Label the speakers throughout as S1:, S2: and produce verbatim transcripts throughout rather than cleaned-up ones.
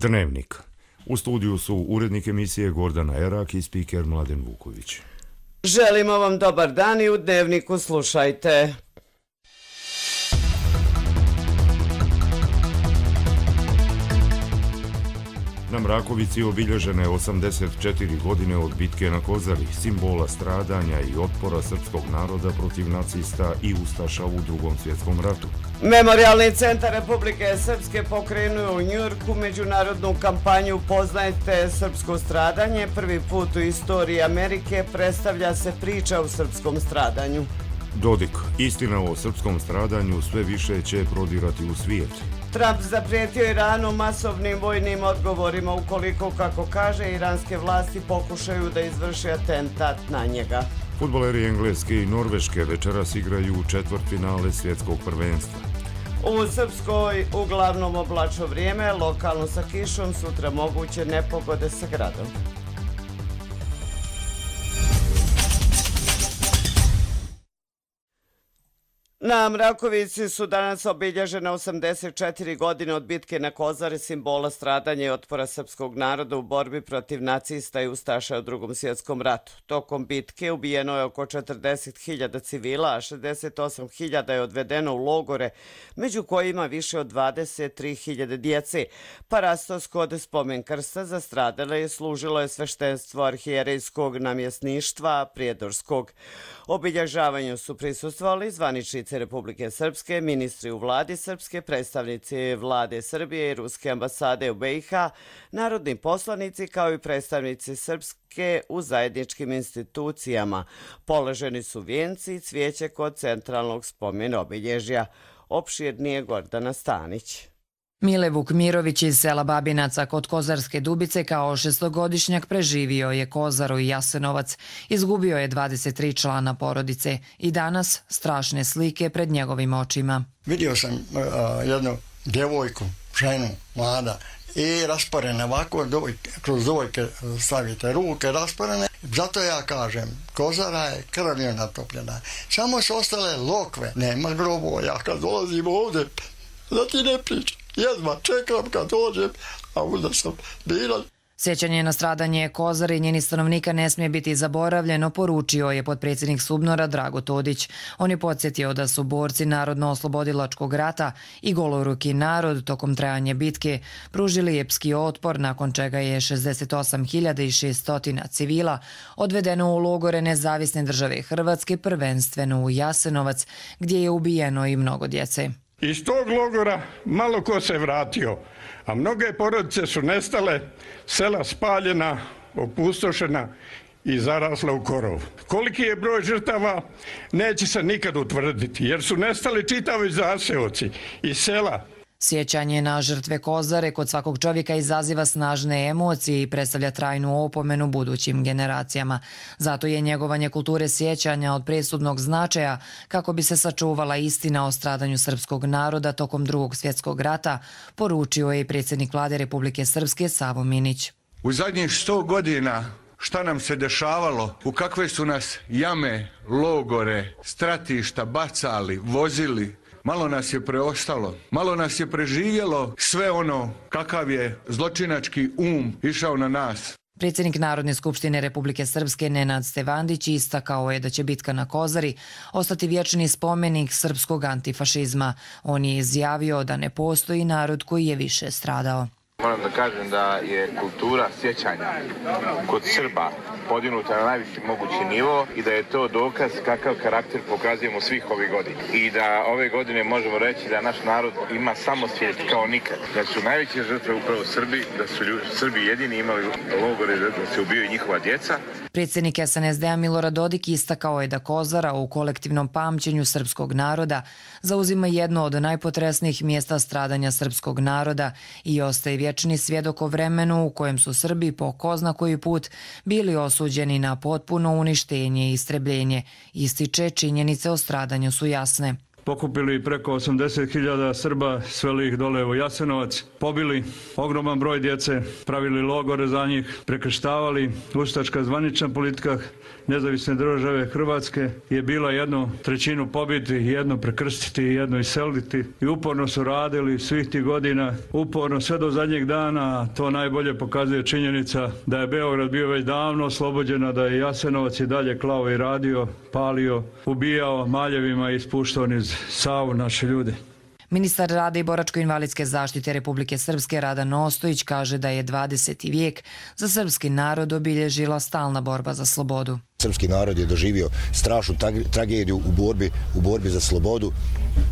S1: Dnevnik. U studiju su urednik emisije Gordana Erak i spiker Mladen Vuković.
S2: Želimo vam dobar dan i u Dnevniku slušajte.
S1: Na Mrakovici obilježene osamdeset četiri godine od bitke na Kozari, simbola stradanja i otpora srpskog naroda protiv nacista i ustaša u Drugom svjetskom ratu.
S2: Memorijalni centar Republike Srpske pokrenuo u Njujorku međunarodnu kampanju Poznajte srpsko stradanje. Prvi put u istoriji Amerike predstavlja se priča o srpskom stradanju.
S1: Dodik. Istina o srpskom stradanju sve više će prodirati u svijet.
S2: Trump zaprijetio Iranu masovnim vojnim odgovorima ukoliko, kako kaže, iranske vlasti pokušaju da izvrše atentat na njega.
S1: Fudbaleri Engleske i Norveške večeras igraju četvrtfinale svjetskog prvenstva.
S2: U Srpskoj uglavnom oblačno vrijeme, lokalno sa kišom, sutra moguće nepogode sa gradom. Na Mrakovici su danas obilježene osamdeset četiri godine od bitke na Kozari, simbola stradanja i otpora srpskog naroda u borbi protiv nacista i ustaša u Drugom svjetskom ratu. Tokom bitke ubijeno je oko četrdeset hiljada civila, a šezdeset osam hiljada je odvedeno u logore, među kojima više od dvadeset tri hiljade djece. Parastos kod spomen krsta za stradale je služilo je sveštenstvo arhijerejskog namjesništva Prijedorskog. Obilježavanju su prisustvovali zvaničnici Republike Srpske, ministri u vladi Srpske, predstavnici vlade Srbije i Ruske ambasade u be i ha, narodni poslanici kao i predstavnici Srpske u zajedničkim institucijama. Položeni su vijenci i cvijeće kod centralnog spomen obilježja. Opširnije Gordana Stanić.
S3: Mile Vukmirović iz sela Babinaca kod Kozarske Dubice kao šestogodišnjak preživio je Kozaru i Jasenovac. Izgubio je dvadeset tri člana porodice i danas strašne slike pred njegovim očima.
S4: Vidio sam uh, jednu djevojku, ženu, mlada, i rasporene ovako, dojke, kroz dojke stavite ruke rasporene. Zato ja kažem, Kozara je krvlju natopljena. Samo su ostale lokve, nema grobova. Ja kad dolazim ovdje, da ti ne pričam. Jedva čekam kad dođem, a onda sam biran.
S3: Sjećanje na stradanje Kozare i njeni stanovnika ne smije biti zaboravljeno, poručio je potpredsjednik Subnora Drago Todić. On je podsjetio da su borci Narodno-oslobodilačkog rata i goloruki narod tokom trajanja bitke pružili epski otpor, nakon čega je šezdeset osam hiljada šesto civila odvedeno u logore Nezavisne države Hrvatske, prvenstveno u Jasenovac, gdje je ubijeno i mnogo djece.
S5: Iz tog logora malo ko se vratio, a mnoge porodice su nestale, sela spaljena, opustošena i zarasla u korov. Koliki je broj žrtava neće se nikad utvrditi, jer su nestali čitavi zaseoci iz sela.
S3: Sjećanje na žrtve Kozare kod svakog čovjeka izaziva snažne emocije i predstavlja trajnu opomenu budućim generacijama. Zato je njegovanje kulture sjećanja od presudnog značaja kako bi se sačuvala istina o stradanju srpskog naroda tokom Drugog svjetskog rata, poručio je i predsjednik vlade Republike Srpske Savo Minić.
S6: U zadnjih sto godina šta nam se dešavalo, u kakve su nas jame, logore, stratišta bacali, vozili. Malo nas je preostalo, malo nas je preživjelo sve ono kakav je zločinački um išao na nas.
S3: Predsjednik Narodne skupštine Republike Srpske Nenad Stevandić istakao je da će bitka na Kozari ostati vječni spomenik srpskog antifašizma. On je izjavio da ne postoji narod koji je više stradao.
S7: Moram da kažem da je kultura sjećanja kod Srba podignuta na najviši mogući nivo i da je to dokaz kakav karakter pokazujemo svih ovih godina. I da ove godine možemo reći da naš narod ima samosvijest kao nikad. Da su najveće žrtve upravo Srbi, da su ljudi, Srbi jedini imali logore da se ubijaju njihova djeca.
S3: Predsjednik es en es de a Milorad Dodik istakao je da Kozara u kolektivnom pamćenju srpskog naroda zauzima jedno od najpotresnijih mjesta stradanja srpskog naroda i ostaje vječni svjedok o vremenu u kojem su Srbi po ko zna koji put bili osuđeni na potpuno uništenje i istrebljenje. Ističe, činjenice o stradanju su jasne.
S8: pokupili preko osamdeset hiljada Srba, sveli ih dole u Jasenovac, pobili ogroman broj djece, pravili logore za njih, prekrštavali. Ustaška zvanična politika nezavisne države Hrvatske je bila jednu trećinu pobiti, jednu prekrstiti i jednu iseliti. I uporno su radili svih tih godina, uporno sve do zadnjeg dana. To najbolje pokazuje činjenica da je Beograd bio već davno oslobođen, da je Jasenovac i dalje klao i radio, palio, ubijao maljevima i ispuštao niz Savu naše ljude.
S3: Ministar rada i boračko-invalidske zaštite Republike Srpske Radan Ostojić kaže da je dvadeseti vijek za srpski narod obilježila stalna borba za slobodu.
S9: Srpski narod je doživio strašnu tragediju u borbi, u borbi za slobodu.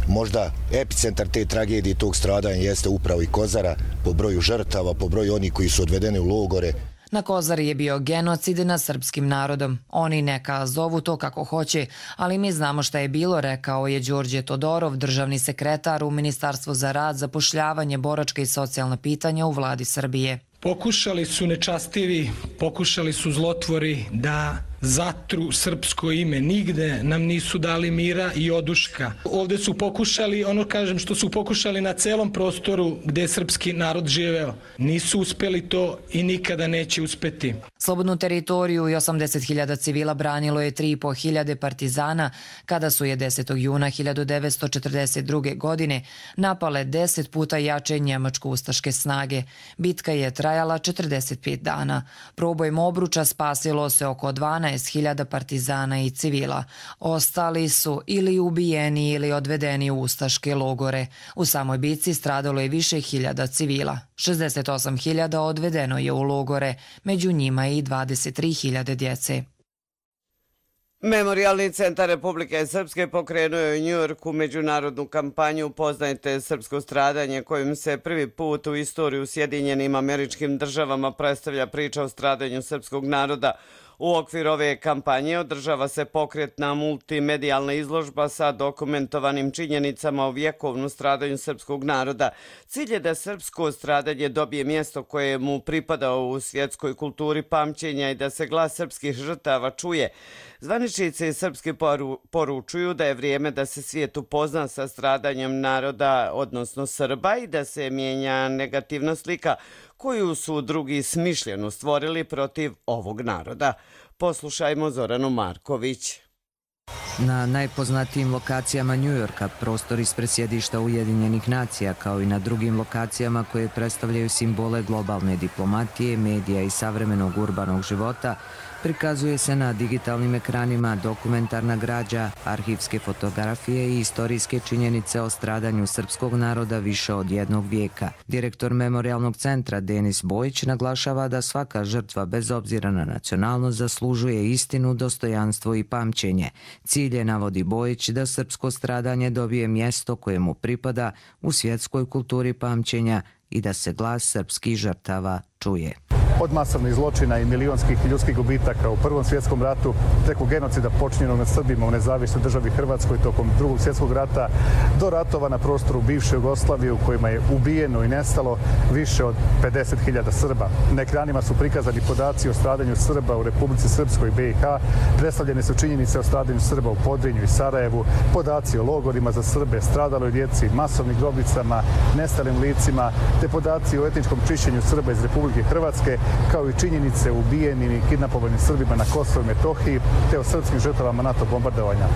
S9: Možda epicentar te tragedije, tog stradanja jeste upravo i Kozara, po broju žrtava, po broju onih koji su odvedeni u logore.
S3: Na Kozari je bio genocid nad srpskim narodom. Oni neka zovu to kako hoće, ali mi znamo šta je bilo, rekao je Đorđe Todorov, državni sekretar u Ministarstvu za rad, zapošljavanje, boračka i socijalna pitanja u vladi Srbije.
S10: Pokušali su nečastivi, pokušali su zlotvori da zatru srpsko ime. Nigde nam nisu dali mira i oduška. Ovdje su pokušali, ono kažem što su pokušali na celom prostoru gdje je srpski narod živeo. Nisu uspjeli to i nikada neće uspjeti.
S3: Slobodnu teritoriju i osamdeset hiljada civila branilo je tri i po hiljade partizana kada su je desetog juna hiljadu devetsto četrdeset druge. godine napale deset puta jače njemačko-ustaške snage. Bitka je trajala četrdeset pet dana. Probojem obruča spasilo se oko dvanaest hiljada partizana i civila. Ostali su ili ubijeni ili odvedeni u ustaške logore. U samoj bitci stradalo je više hiljada civila. šezdeset osam hiljada odvedeno je u logore, među njima i dvadeset tri hiljade djece.
S2: Memorijalni centar Republike Srpske pokrenuo je u Njujorku međunarodnu kampanju Upoznajte srpsko stradanje, kojim se prvi put u istoriju Sjedinjenim Američkim Državama predstavlja priča o stradanju srpskog naroda. U okviru ove kampanje održava se pokretna multimedijalna izložba sa dokumentovanim činjenicama o vjekovnom stradanju srpskog naroda. Cilj je da srpsko stradanje dobije mjesto koje mu pripada u svjetskoj kulturi pamćenja i da se glas srpskih žrtava čuje. Zvaničnici srpski poručuju da je vrijeme da se svijet upozna sa stradanjem naroda, odnosno Srba, i da se mijenja negativna slika koju su drugi smišljeno stvorili protiv ovog naroda. Poslušajmo Zoranu Marković.
S11: Na najpoznatijim lokacijama Njujorka, prostor ispred sjedišta Ujedinjenih nacija, kao i na drugim lokacijama koje predstavljaju simbole globalne diplomatije, medija i savremenog urbanog života, prikazuje se na digitalnim ekranima dokumentarna građa, arhivske fotografije i istorijske činjenice o stradanju srpskog naroda više od jednog vijeka. Direktor Memorijalnog centra Denis Bojić naglašava da svaka žrtva, bez obzira na nacionalnost, zaslužuje istinu, dostojanstvo i pamćenje. Cilj je, navodi Bojić, da srpsko stradanje dobije mjesto koje mu pripada u svjetskoj kulturi pamćenja i da se glas srpskih žrtava čuje.
S12: Od masovnih zločina i milionskih ljudskih gubitaka u Prvom svjetskom ratu, preko genocida počinjenog nad Srbima u nezavisnoj državi Hrvatskoj tokom Drugog svjetskog rata, do ratova na prostoru bivše Jugoslavije u kojima je ubijeno i nestalo više od pedeset hiljada Srba. Na ekranima su prikazani podaci o stradanju Srba u Republici Srpskoj i B i H, predstavljene su činjenice o stradanju Srba u Podrinju i Sarajevu, podaci o logorima za Srbe, stradaloj djeci, masovnim grobnicama, nestalim licima, te podaci o etničkom čišćenju Srba iz Republike Hrvatske, kao i činjenice o ubijenim i kidnapovanim Srbima na Kosovu i Metohiji, te o srpskim žrtvama NATO bombardovanja.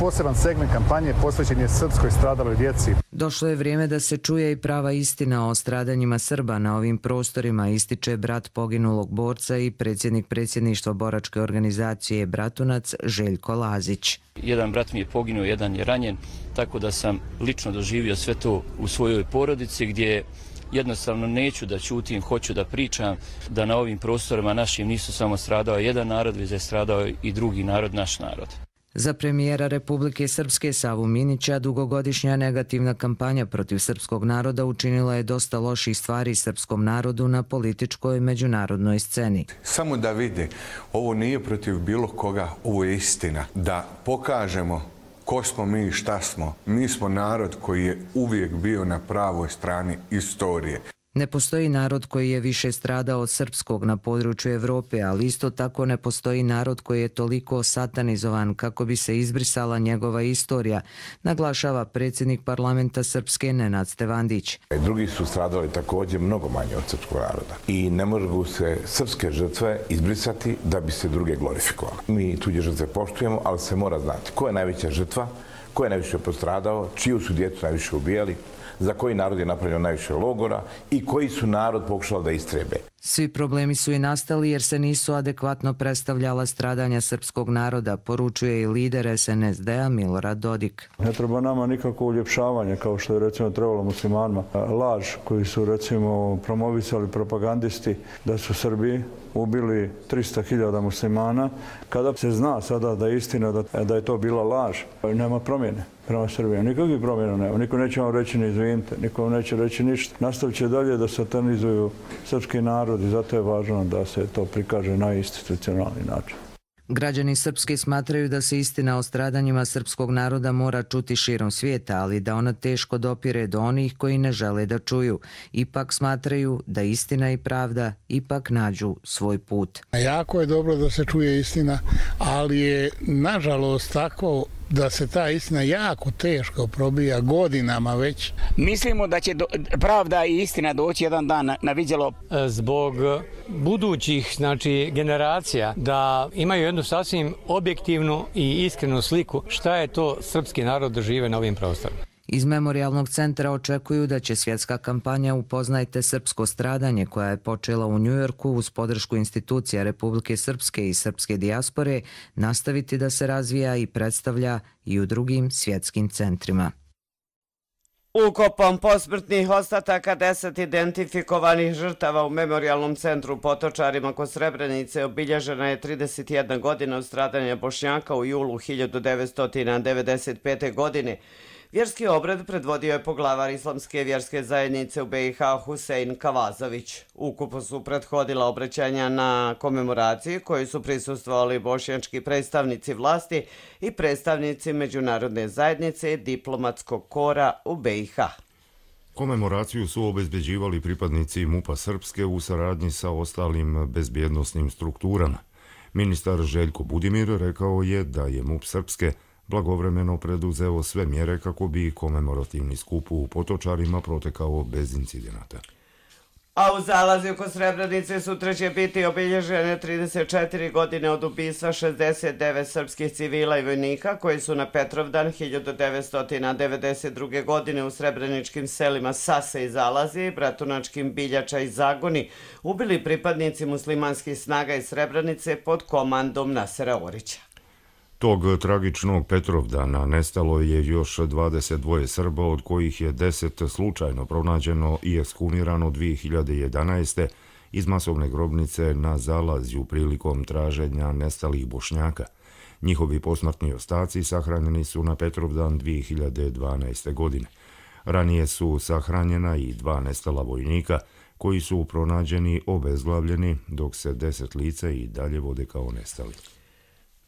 S12: Poseban segment kampanje posvećen je srpskoj stradaloj djeci.
S11: Došlo je vrijeme da se čuje i prava istina o stradanjima Srba na ovim prostorima, ističe brat poginulog borca i predsjednik predsjedništva boračke organizacije Bratunac Željko Lazić.
S13: Jedan brat mi je poginuo, jedan je ranjen, tako da sam lično doživio sve to u svojoj porodici, gdje jednostavno neću da ćutim, hoću da pričam da na ovim prostorima našim nisu samo stradao jedan narod, već je stradao i drugi narod, naš narod.
S11: Za premijera Republike Srpske Savu Minića dugogodišnja negativna kampanja protiv srpskog naroda učinila je dosta loših stvari srpskom narodu na političkoj međunarodnoj sceni.
S6: Samo da vide, ovo nije protiv bilo koga, ovo je istina. Da pokažemo ko smo mi i šta smo. Mi smo narod koji je uvijek bio na pravoj strani istorije.
S11: Ne postoji narod koji je više stradao od srpskog na području Evrope, ali isto tako ne postoji narod koji je toliko satanizovan kako bi se izbrisala njegova istorija, naglašava predsjednik parlamenta Srpske Nenad Stevandić.
S14: Drugi su stradali također mnogo manje od srpskog naroda i ne mogu se srpske žrtve izbrisati da bi se druge glorifikovali. Mi tuđe žrtve poštujemo, ali se mora znati ko je najveća žrtva, ko je najviše postradao, čiju su djecu najviše ubijali, za koji narod je napravljeno najviše logora i koji su narod pokušali da istrebe.
S11: Svi problemi su i nastali jer se nisu adekvatno predstavljala stradanja srpskog naroda, poručuje i lider es en es de a Milorad Dodik.
S8: Ne treba nama nikako uljepšavanje, kao što je recimo trebalo muslimanima. Laž koju su recimo promovisali propagandisti da su Srbi ubili tristo hiljada muslimana, kada se zna sada da je istina da, da je to bila laž, nema promjene prema Srbiji. Nikakvih promjena nema. Niko neće vam reći ni izvinite, niko vam neće reći ništa. Nastavit će dalje da satanizuju srpski narod i zato je važno da se to prikaže na institucionalni način.
S11: Građani Srpske smatraju da se istina o stradanjima srpskog naroda mora čuti širom svijeta, ali da ona teško dopire do onih koji ne žele da čuju. Ipak smatraju da istina i pravda ipak nađu svoj put.
S15: Jako je dobro da se čuje istina, ali je nažalost tako da se ta istina jako teško probija godinama već.
S16: Mislimo da će do, pravda i istina doći jedan dan na, na vidjelo.
S17: Zbog budućih znači, generacija da imaju jednu sasvim objektivnu i iskrenu sliku šta je to srpski narod da žive na ovim prostorima.
S11: Iz Memorijalnog centra očekuju da će svjetska kampanja Upoznajte srpsko stradanje, koja je počela u Njujorku uz podršku institucija Republike Srpske i srpske dijaspore, nastaviti da se razvija i predstavlja i u drugim svjetskim centrima.
S2: Ukopom posmrtnih ostataka deset identifikovanih žrtava u Memorijalnom centru Potočarima kod Srebrenice obilježena je trideset jedna godina od stradanja Bošnjaka u julu hiljadu devetsto devedeset pete. godine. Vjerski obred predvodio je poglavar Islamske vjerske zajednice u be i ha Husein Kavazović. Ukupu su prethodila obraćanja na komemoraciji koji su prisustvovali bošnjački predstavnici vlasti i predstavnici međunarodne zajednice i diplomatskog kora u be i ha.
S1: Komemoraciju su obezbeđivali pripadnici MUP-a Srpske u saradnji sa ostalim bezbjednosnim strukturama. Ministar Željko Budimir rekao je da je MUP Srpske blagovremeno preduzeo sve mjere kako bi komemorativni skup u Potočarima protekao bez incidenata.
S2: A u zalazi oko Srebrenice sutra će biti obilježene trideset četiri godine od ubistva šezdeset devet srpskih civila i vojnika koji su na Petrovdan hiljadu devetsto devedeset druge. godine u srebreničkim selima Sase i Zalazi, Bratunačkim Biljača i Zagoni ubili pripadnici muslimanskih snaga iz Srebrenice pod komandom Nasera Orića.
S1: Tog tragičnog Petrovdana nestalo je još dvadeset dva Srba, od kojih je deset slučajno pronađeno i ekshumirano dvije hiljade jedanaeste. iz masovne grobnice na Zalazju prilikom traženja nestalih Bošnjaka. Njihovi posmrtni ostaci sahranjeni su na Petrovdan dvije hiljade dvanaeste. godine. Ranije su sahranjena i dva nestala vojnika, koji su pronađeni obezglavljeni, dok se deset lica i dalje vode kao nestali.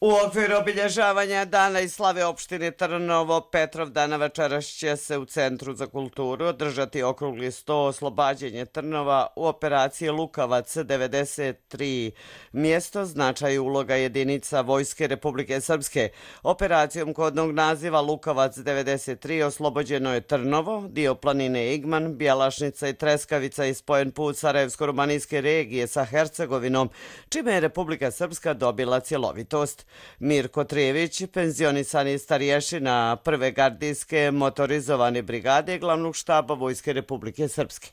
S2: U okviru obilježavanja Dana i slave opštine Trnovo, Petrovdana večeras će se u Centru za kulturu održati okrugli sto oslobađanje Trnova u operaciji Lukavac devedeset tri. Mjesto, značaj i uloga jedinica Vojske Republike Srpske. Operacijom kodnog naziva Lukavac devedeset tri oslobođeno je Trnovo, dio planine Igman, Bjelašnica i Treskavica i spojen put Sarajevsko-romanijske regije sa Hercegovinom, čime je Republika Srpska dobila cjelovitost. Mirko Trijević, penzionisani starješina prve gardijske motorizovane brigade glavnog štaba Vojske Republike Srpske.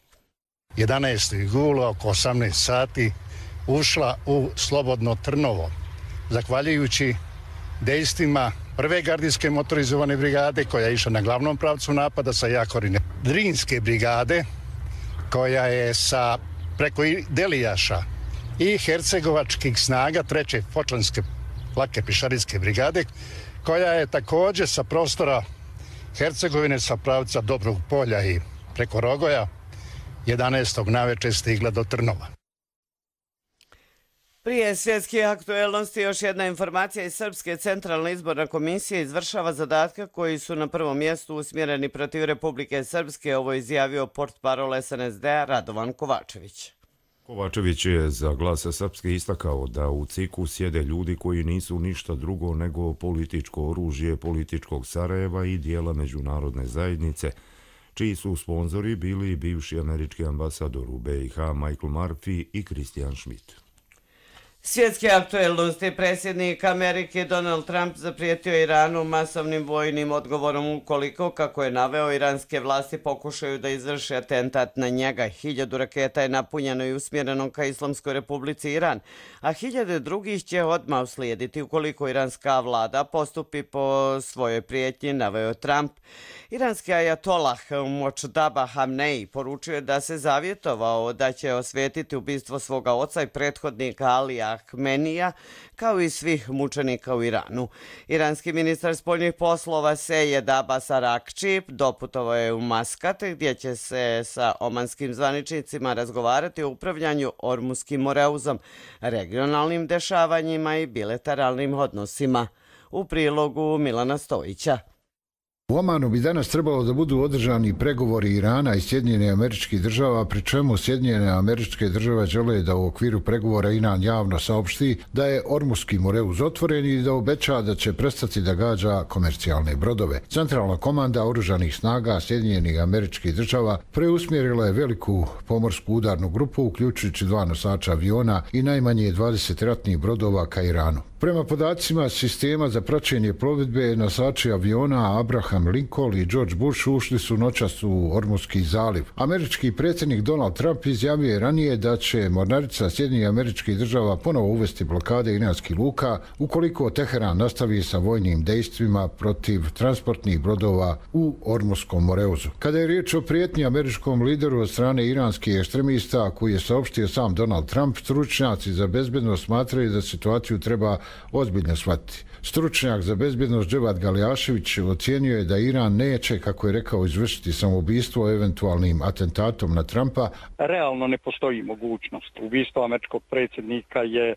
S15: jedanaestog jula oko osamnaest sati ušla u slobodno Trnovo, zahvaljujući dejstvima prve gardijske motorizovane brigade koja je išla na glavnom pravcu napada sa Jakorine. Drinske brigade koja je sa preko Delijaša i hercegovačkih snaga treće Fočlanske lake pišarijske brigade, koja je također sa prostora Hercegovine sa pravca Dobrog polja i preko Rogoja jedanaestog naveče stigla do Trnova.
S2: Prije svjetskih aktuelnosti još jedna informacija iz Srpske centralna izborna komisija izvršava zadatke koji su na prvom mjestu usmjereni protiv Republike Srpske, ovo izjavio portparol S N S D-a Radovan Kovačević.
S1: Kovačević je za Glas Srpske istakao da u C I K-u sjede ljudi koji nisu ništa drugo nego političko oružje političkog Sarajeva i dijela međunarodne zajednice, čiji su sponzori bili bivši američki ambasador u B i H Michael Murphy i Christian Schmidt.
S2: Svjetske aktuelnosti. Predsjednik Amerike Donald Trump zaprijetio Iranu masovnim vojnim odgovorom ukoliko, kako je naveo, iranske vlasti pokušaju da izvrše atentat na njega. Hiljadu raketa je napunjeno i usmjereno ka Islamskoj republici Iran, a hiljade drugih će odmah uslijediti ukoliko iranska vlada postupi po svojoj prijetnji, naveo Trump. Iranski ajatolah Močdaba Hamnej poručio je da se zavjetovao da će osvetiti ubistvo svoga oca i prethodnika Alija Ahmenija, kao i svih mučenika u Iranu. Iranski ministar spoljnih poslova Sejed Abbas Arakči doputovao je u Maskat, gdje će se sa omanskim zvaničnicima razgovarati o upravljanju Ormuskim moreuzom, regionalnim dešavanjima i bilateralnim odnosima. U prilogu Milana Stojića.
S18: U Omanu bi danas trebalo da budu održani pregovori Irana i Sjedinjene Američkih Država, pri čemu Sjedinjene Američke Države žele da u okviru pregovora Iran javno saopšti da je Ormuski moreuz otvoren i da obeća da će prestati da gađa komercijalne brodove. Centralna komanda oružanih snaga Sjedinjenih Američkih Država preusmjerila je veliku pomorsku udarnu grupu, uključujući dva nosača aviona i najmanje dvadeset ratnih brodova ka Iranu. Prema podacima sistema za praćenje plovidbe, nosači aviona Abraham Lincoln i George Bush ušli su noćas u Ormuski zaliv. Američki predsjednik Donald Trump izjavio je ranije da će mornarica Sjedinjenih Američkih Država ponovo uvesti blokade iranskih luka ukoliko Teheran nastavi sa vojnim dejstvima protiv transportnih brodova u Ormuskom moreuzu. Kada je riječ o prijetnji američkom lideru od strane iranskih ekstremista, koji je saopštio sam Donald Trump, stručnjaci za bezbednost smatraju da situaciju treba ozbiljno shvatiti. Stručnjak za bezbjednost Dževad Galjašević ocijenio je da Iran neće, kako je rekao, izvršiti samoubistvo eventualnim atentatom na Trumpa.
S19: Realno ne postoji mogućnost. Ubistvo američkog predsjednika je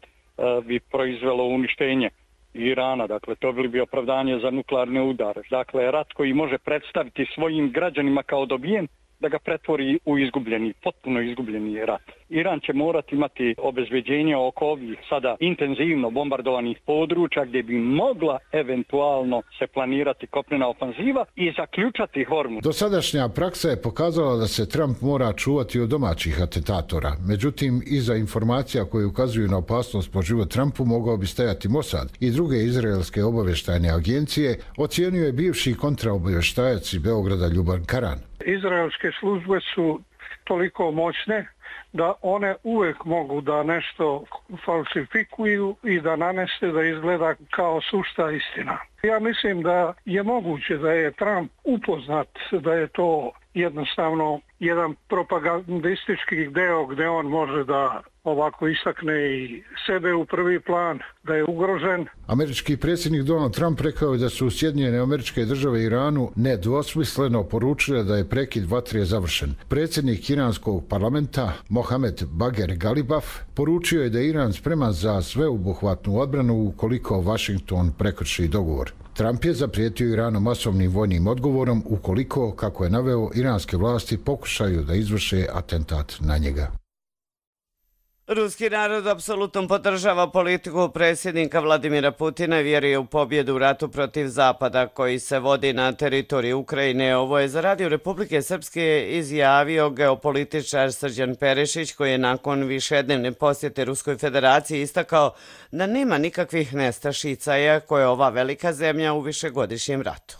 S19: bi proizvelo uništenje Irana, dakle to bi bio opravdanje za nuklearne udare. Dakle, rat koji može predstaviti svojim građanima kao dobijen, da ga pretvori u izgubljeni, potpuno izgubljeni rat. Iran će morati imati obezbeđenje oko ovih sada intenzivno bombardovanih područja gdje bi mogla eventualno se planirati kopnena ofanziva i zaključati Hormuz.
S18: Dosadašnja praksa je pokazala da se Trump mora čuvati od domaćih atentatora. Međutim, iza informacija koje ukazuju na opasnost po život Trumpu mogao bi stajati Mossad i druge izraelske obavještajne agencije, ocijenio je bivši kontraobavještajac iz Beograda Ljuban Karan.
S20: Izraelske službe su toliko moćne da one uvijek mogu da nešto falsifikuju i da nanese da izgleda kao sušta istina. Ja mislim da je moguće da je Trump upoznat da je to jednostavno jedan propagandistički deo gdje on može da ovako istakne i sebe u prvi plan, da je ugrožen.
S18: Američki predsjednik Donald Trump rekao je da su Sjedinjene Američke Države Iranu nedvosmisleno poručile da je prekid vatre završen. Predsjednik iranskog parlamenta Mohamed Bager Galibaf poručio je da je Iran spreman za sveobuhvatnu odbranu ukoliko Washington prekrši dogovor. Trump je zaprijetio Iranu masovnim vojnim odgovorom ukoliko, kako je naveo, iranske vlasti pokušaju da izvrše atentat na njega.
S2: Ruski narod apsolutno podržava politiku predsjednika Vladimira Putina i vjeruje u pobjedu u ratu protiv Zapada koji se vodi na teritoriji Ukrajine. Ovo je za Radio Republike Srpske izjavio geopolitičar Srđan Perišić, koji je nakon višednevne posjete Ruskoj federaciji istakao da nema nikakvih nestašica, iako je ova velika zemlja u višegodišnjem ratu.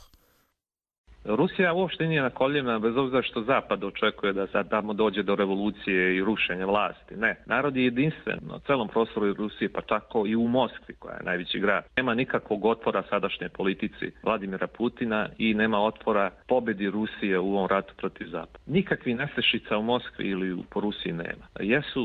S21: Rusija uopšte nije na koljena, bez obzira što Zapad očekuje da sad tamo dođe do revolucije i rušenja vlasti. Ne, narod je jedinstven na celom prostoru Rusije, pa tako i u Moskvi, koja je najveći grad. Nema nikakvog otpora sadašnje politici Vladimira Putina i nema otpora pobjedi Rusije u ovom ratu protiv Zapada. Nikakvi nestašica u Moskvi ili po Rusiji nema. Jesu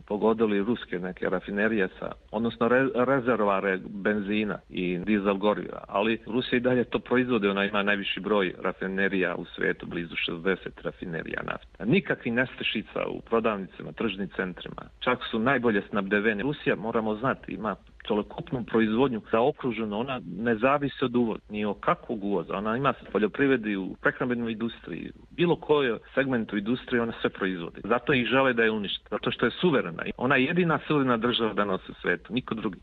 S21: pogodili ruske neke rafinerije sa, odnosno re, rezervare benzina i dizel goriva, ali Rusija i dalje to proizvode, ona ima najviše najviši broj rafinerija u svijetu, blizu šezdeset rafinerija nafte. Nikakvi nestašica u prodavnicama, tržnim centrima. Čak su najbolje snabdevene. Rusija, moramo znati, ima celokupnu proizvodnju zaokruženo, ona ne zavisi od uvoza, ni o kakvog uvoza. Ona ima poljoprivredi, u prehrambenoj industriji, bilo kojoj segmentu industrije ona sve proizvodi. Zato ih žele da je unište, zato što je suverena. Ona je jedina suverena država danas u svijetu, niko drugi.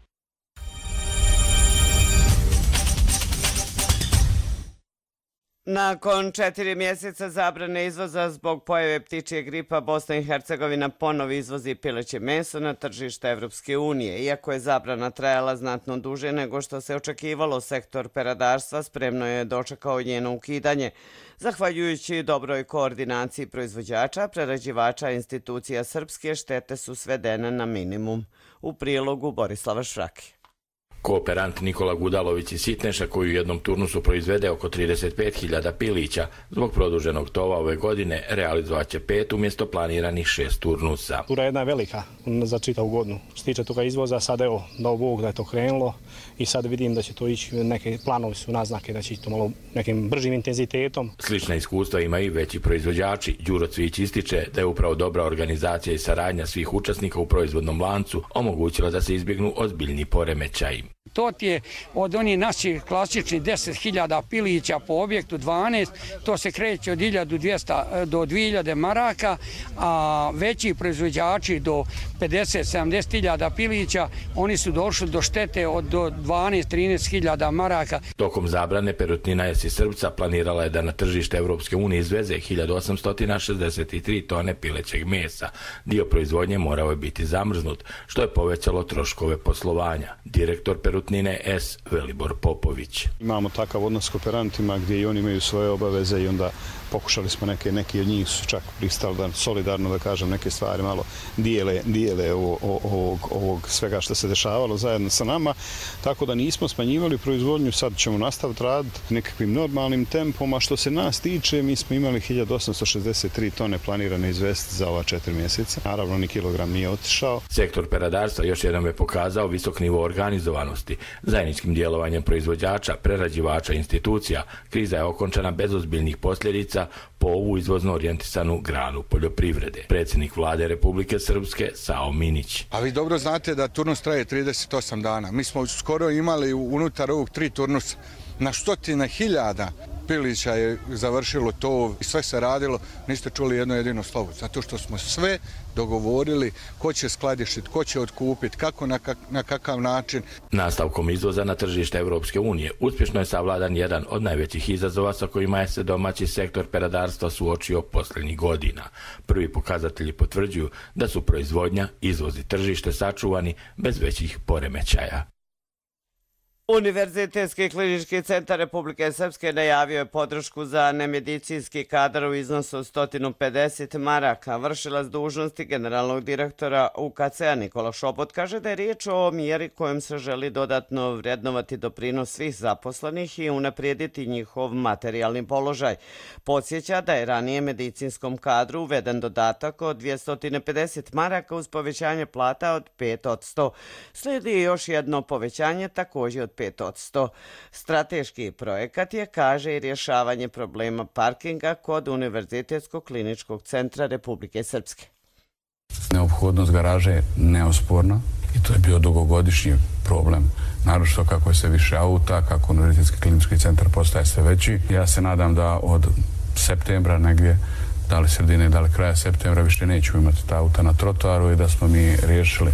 S2: Nakon četiri mjeseca zabrane izvoza zbog pojave ptičje gripa, Bosna i Hercegovina ponovo izvozi pileće meso na tržište Evropske unije. Iako je zabrana trajala znatno duže nego što se očekivalo, sektor peradarstva spremno je dočekao njeno ukidanje. Zahvaljujući dobroj koordinaciji proizvođača, prerađivača i institucija srpske, štete su svedene na minimum. U prilogu Borislava Švrake.
S4: Kooperant Nikola Gudalović iz Sitneša, koji u jednom turnusu proizvede oko trideset pet hiljada pilića, zbog produženog tova ove godine realizovat će pet umjesto planiranih šest turnusa.
S22: Tura je jedna velika za čitavu godinu. Što se tiče toga izvoza, sad evo, dao Bog da je to krenulo i sad vidim da će to ići, neke planovi su naznake da će ići to malo nekim bržim intenzitetom.
S4: Slična iskustva ima i veći proizvođači. Đuro Cvić ističe da je upravo dobra organizacija i saradnja svih učesnika u proizvodnom lancu omogućila da se izbjegnu ozbiljni poremećaji.
S23: To ti je od onih naših klasičnih deset hiljada pilića po objektu dvanaest, to se kreće od hiljadu dvjesto do dvije hiljade maraka, a veći proizvođači do pedeset do sedamdeset hiljada pilića, oni su došli do štete od do dvanaest do trinaest hiljada maraka.
S4: Tokom zabrane Perutnina S iz Srpca planirala je da na tržište Evropske unije izveze hiljadu osamsto šezdeset tri tone pilećeg mesa. Dio proizvodnje morao je biti zamrznut, što je povećalo troškove poslovanja. Direktor Perutnine S. Velibor Popović.
S22: Imamo takav odnos s kooperantima gdje i oni imaju svoje obaveze i onda pokušali smo neke, neki od njih su čak pristali da solidarno, da kažem, neke stvari malo dijele, dijele ovog, ovog svega što se dešavalo zajedno sa nama, tako da nismo smanjivali proizvodnju, sad ćemo nastaviti raditi nekakvim normalnim tempom, a što se nas tiče, mi smo imali hiljadu osamsto šezdeset tri tone planirane izvesti za ova četiri mjeseca. Naravno, ni kilogram nije otišao.
S4: Sektor peradarstva još jednom je pokazao visok nivo organizovanosti. Zajedničkim djelovanjem proizvođača, prerađivača i institucija, kriza je okončana bez ozbiljnih posljedica po ovu izvozno orijentisanu granu poljoprivrede. Predsjednik vlade Republike Srpske Sao Minić.
S6: A vi dobro znate da turnus traje trideset osam dana. Mi smo skoro imali unutar ovog tri turnusa na stotine hiljada pilića je završilo to i sve se radilo, niste čuli jedno jedino slovo. Zato što smo sve dogovorili ko će skladištiti, ko će otkupiti, kako na, kak, na kakav način.
S4: Nastavkom izvoza na tržište Evropske unije uspješno je savladan jedan od najvećih izazova sa kojima je se domaći sektor peradarstva suočio posljednjih godina. Prvi pokazatelji potvrđuju da su proizvodnja, izvoz i tržište sačuvani bez većih poremećaja.
S2: Univerzitetski klinički centar Republike Srpske najavio je podršku za nemedicinski kadar u iznosu od sto pedeset maraka. Vršilac dužnosti generalnog direktora U K C-a Nikola Šobot kaže da je riječ o mjeri kojom se želi dodatno vrednovati doprinos svih zaposlenih i unaprijediti njihov materijalni položaj. Podsjeća da je ranije medicinskom kadru uveden dodatak od dvjesto pedeset maraka uz povećanje plata od pet posto. Slijedi još jedno povećanje također od pet posto. Strateški projekat je, kaže, i rješavanje problema parkinga kod Univerzitetskog kliničkog centra Republike Srpske.
S24: Neophodnost garaže je neosporna i to je bio dugogodišnji problem. Naročito kako je sve više auta, kako Univerzitetski klinički centar postaje sve veći. Ja se nadam da od septembra negdje, da li sredine, da li kraja septembra, više nećemo imati ta auta na trotoaru i da smo mi riješili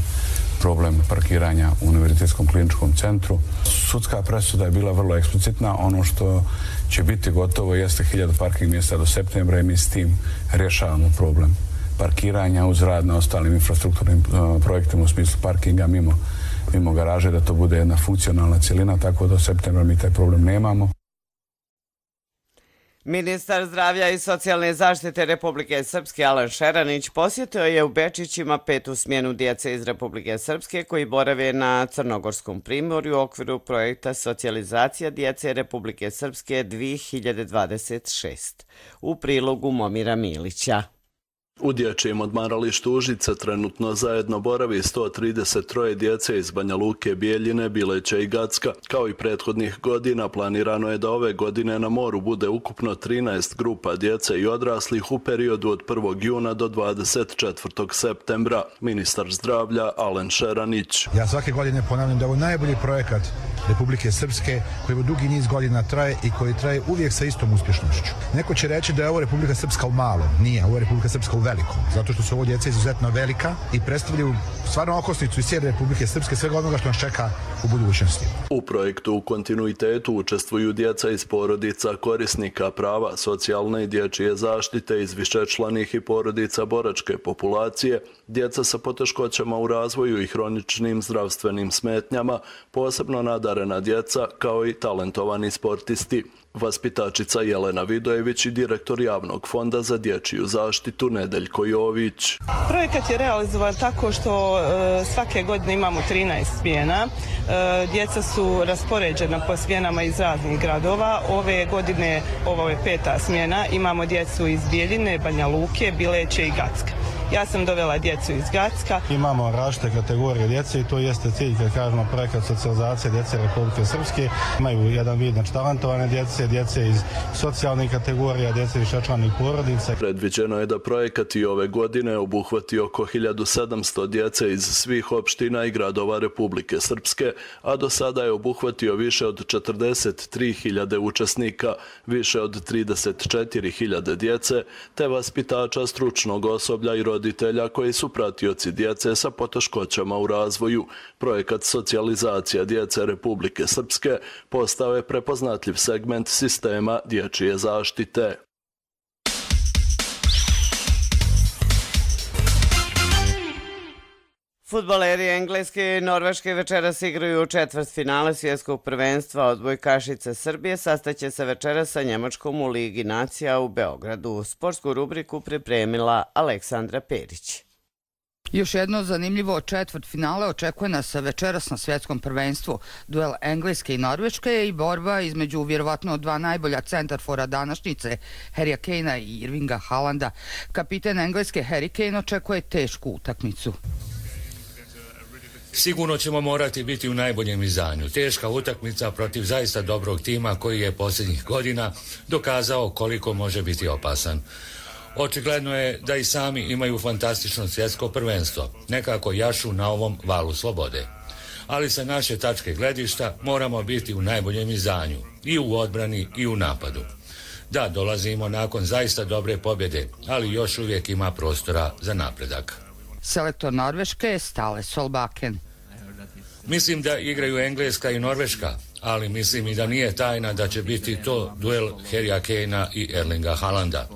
S24: problem parkiranja u Univerzitetskom kliničkom centru. Sudska presuda je bila vrlo eksplicitna. Ono što će biti gotovo jeste hiljadu parking mjesta do septembra i mi s tim rješavamo problem parkiranja uz rad na ostalim infrastrukturnim uh, projektima u smislu parkinga mimo, mimo garaže, da to bude jedna funkcionalna cjelina, tako da do septembra mi taj problem nemamo.
S2: Ministar zdravlja i socijalne zaštite Republike Srpske Alan Šeranić posjetio je u Bečićima petu smjenu djece iz Republike Srpske koji borave na Crnogorskom primorju u okviru projekta Socijalizacija djece Republike Srpske dvije hiljade dvadeset šest. U prilogu Momira Milića.
S5: U dječjem odmaralištu Užice trenutno zajedno boravi sto trideset troje djece iz Banja Luke, Bijeljine, Bileća i Gacka. Kao i prethodnih godina, planirano je da ove godine na moru bude ukupno trinaest grupa djece i odraslih u periodu od prvog juna do dvadeset četvrtog septembra. Ministar zdravlja Alen Šeranić.
S7: Ja svake godine ponavljam da je ovo najbolji projekat Republike Srpske koji u dugi niz godina traje i koji traje uvijek sa istom uspješnošću. Neko će reći da je ovo Republika Srpska u malom. Nije, ovo je Republika Srpska u velikom. Zato što su ovo djeca izuzetno velika i predstavljaju stvarno okosnicu iz cijele Republike Srpske, svega onoga što nas čeka u budućnosti.
S5: U projektu u kontinuitetu učestvuju djeca iz porodica korisnika prava socijalne i dječje zaštite iz višečlanih i porodica boračke populacije, djeca sa poteškoćama u razvoju i hroničnim zdravstvenim smetnjama, posebno nadarena djeca kao i talentovani sportisti. Vaspitačica Jelena Vidojević i direktor Javnog fonda za dječju zaštitu Nedeljko Jović.
S9: Projekat je realizovan tako što e, svake godine imamo trinaest smjena. E, djeca su raspoređena po smjenama iz raznih gradova. Ove godine, ovo je peta smjena, imamo djecu iz Bijeljine, Banja Luke, Bileće i Gacka. Ja sam dovela djecu iz Gacka.
S22: Imamo različite kategorije djece i to jeste cilj, kad kažemo projekat socijalizacije djece Republike Srpske. Imaju jedan vid znači talentovane djece, djece iz socijalnih kategorija, djece višečlanih porodica.
S5: Predviđeno je da projekat i ove godine obuhvati oko hiljadu sedamsto djece iz svih opština i gradova Republike Srpske, a do sada je obuhvatio više od četrdeset tri hiljade učesnika, više od trideset četiri hiljade djece, te vaspitača, stručnog osoblja i roditelja roditelja koji su pratioci djece sa poteškoćama u razvoju. Projekat socijalizacija djece Republike Srpske postao je prepoznatljiv segment sistema dječje zaštite.
S2: Fudbaleri Engleske i Norveške večeras igraju u četvrtfinale svjetskog prvenstva. Odbojkašice Srbije sastaće se večeras sa Njemačkom u Ligi nacija u Beogradu. Sportsku rubriku pripremila Aleksandra Perić.
S10: Još jedno zanimljivo četvrtfinale očekuje nas večeras na svjetskom prvenstvu. Duel Engleske i Norveške i borba između vjerovatno dva najbolja centarfora današnjice, Harrya Kanea i Irvinga Haalanda. Kapiten Engleske Harry Kane očekuje tešku utakmicu.
S25: Sigurno ćemo morati biti u najboljem izdanju. Teška utakmica protiv zaista dobrog tima koji je posljednjih godina dokazao koliko može biti opasan. Očigledno je da i sami imaju fantastično svjetsko prvenstvo, nekako jašu na ovom valu slobode. Ali sa naše tačke gledišta moramo biti u najboljem izdanju, i u odbrani i u napadu. Da, dolazimo nakon zaista dobre pobjede, ali još uvijek ima prostora za napredak.
S10: Selektor Norveške je Stale Solbakken.
S25: Mislim da igraju Engleska i Norveška, ali mislim i da nije tajna da će biti to duel Harrya Kanea i Erlinga Haalanda.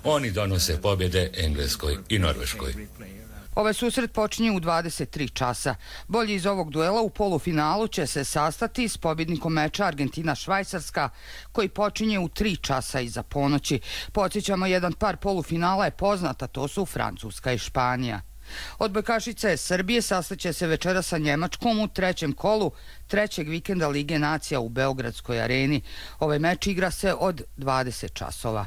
S25: Oni donose pobjede Engleskoj i Norveškoj.
S10: Ovaj susret počinje u dvadeset tri časa. Bolji iz ovog duela u polufinalu će se sastati s pobjednikom meča Argentina-Švajcarska, koji počinje u tri časa iza ponoći. Podsjećamo, jedan par polufinala je poznata, to su Francuska i Španija. Odbojkašice Srbije sastaće se večera sa Njemačkom u trećem kolu trećeg vikenda Lige nacija u Beogradskoj areni. Ovaj meč igra se od dvadeset časova.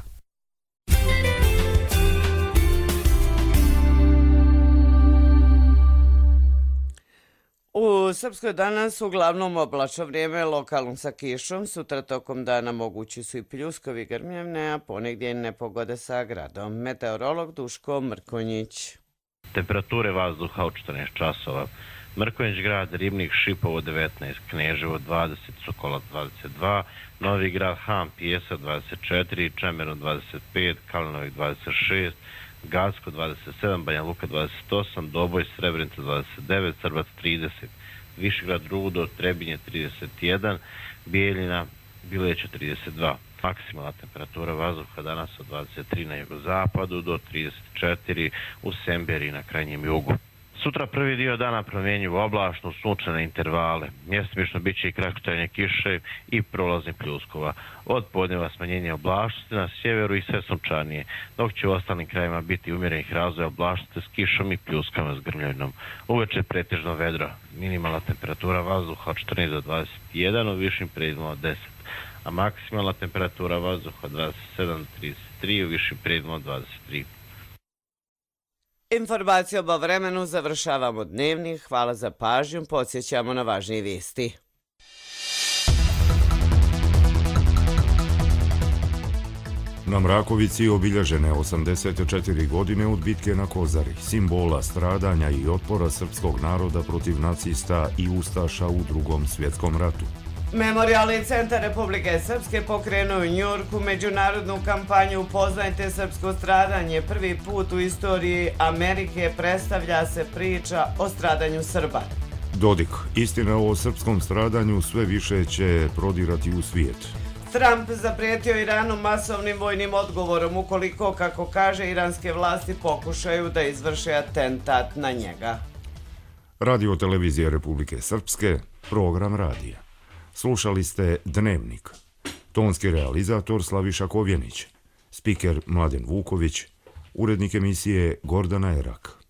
S2: U Srpskoj danas uglavnom oblačno vrijeme, lokalno sa kišom. Sutra tokom dana mogući su i pljuskovi, grmljavne, a ponegdje i nepogode sa gradom. Meteorolog Duško Mrkonjić.
S26: Temperature vazduha od četrnaest časova. Mrkonjić grad, Ribnik, Šipovo devetnaest, Kneževo dvadeset, Sokolac dvadeset dva, Novi grad, Han, Pijesak dvadeset četiri, Čemerno dvadeset pet, Kalinovik dvadeset šest, Gacko dvadeset sedam, Banja Luka dvadeset osam, Doboj, Srebrenica dvadeset devet, Srbac trideset, Višegrad, Rudo, Trebinje trideset jedan, Bijeljina, Bileća trideset dva. Maksimalna temperatura vazduha danas od dvadeset tri na jugozapadu do trideset četiri u Semberi na krajnjem jugu. Sutra prvi dio dana promjenjivo oblačno, sunčane intervale. Mjestimično bit će i kratkotrajne kiše i prolazni pljuskova. Od podneva smanjenje oblačnosti na sjeveru i sve sunčanije, dok će u ostalim krajima biti umjerenih razvoja oblačnosti s kišom i pljuskama s grmljavinom. Uveče pretežno vedro. Minimalna temperatura vazduha od četrnaest do dvadeset jedan, u višim predjelima od deset, a maksimalna temperatura vazduha od dvadeset sedam do trideset tri, u višim predjelima od dvadeset tri.
S2: Informacijom o vremenu završavamo dnevnik. Hvala za pažnju. Podsjećamo na važnije vijesti.
S1: Na Mrakovici obilježene osamdeset četiri godine od bitke na Kozari, simbola stradanja i otpora srpskog naroda protiv nacista i ustaša u Drugom svjetskom ratu.
S2: Memorijalni centar Republike Srpske pokrenuo u Njujorku međunarodnu kampanju Upoznajte srpsko stradanje. Prvi put u istoriji Amerike predstavlja se priča o stradanju Srba.
S1: Dodik, istina o srpskom stradanju sve više će prodirati u svijet.
S2: Trump zaprijetio Iranu masovnim vojnim odgovorom ukoliko, kako kaže, iranske vlasti pokušaju da izvrše atentat na njega.
S1: Radio televizija Republike Srpske, program radija. Slušali ste Dnevnik. Tonski realizator Slaviša Kovjenić, spiker Mladen Vuković, urednik emisije Gordana Erak.